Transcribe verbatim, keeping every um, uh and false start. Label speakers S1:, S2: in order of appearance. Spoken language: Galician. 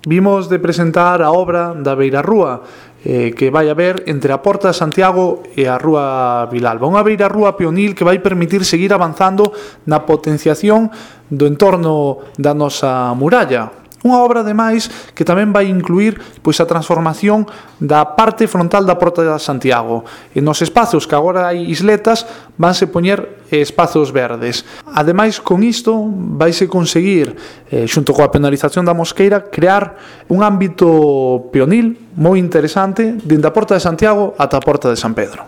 S1: Vimos de presentar a obra da Beirarrúa, eh, que vai haber entre a Porta de Santiago e a Rúa Vilalba. Unha beirarrúa peonil que vai permitir seguir avanzando na potenciación do entorno da nosa muralla. Unha obra, ademais, que tamén vai incluir pois, a transformación da parte frontal da Porta de Santiago. E nos espazos que agora hai isletas, vanse poñer espazos verdes. Ademais, con isto, vaise conseguir, eh, xunto coa penalización da Mosqueira, crear un ámbito peonil moi interesante dende a Porta de Santiago ata a Porta de San Pedro.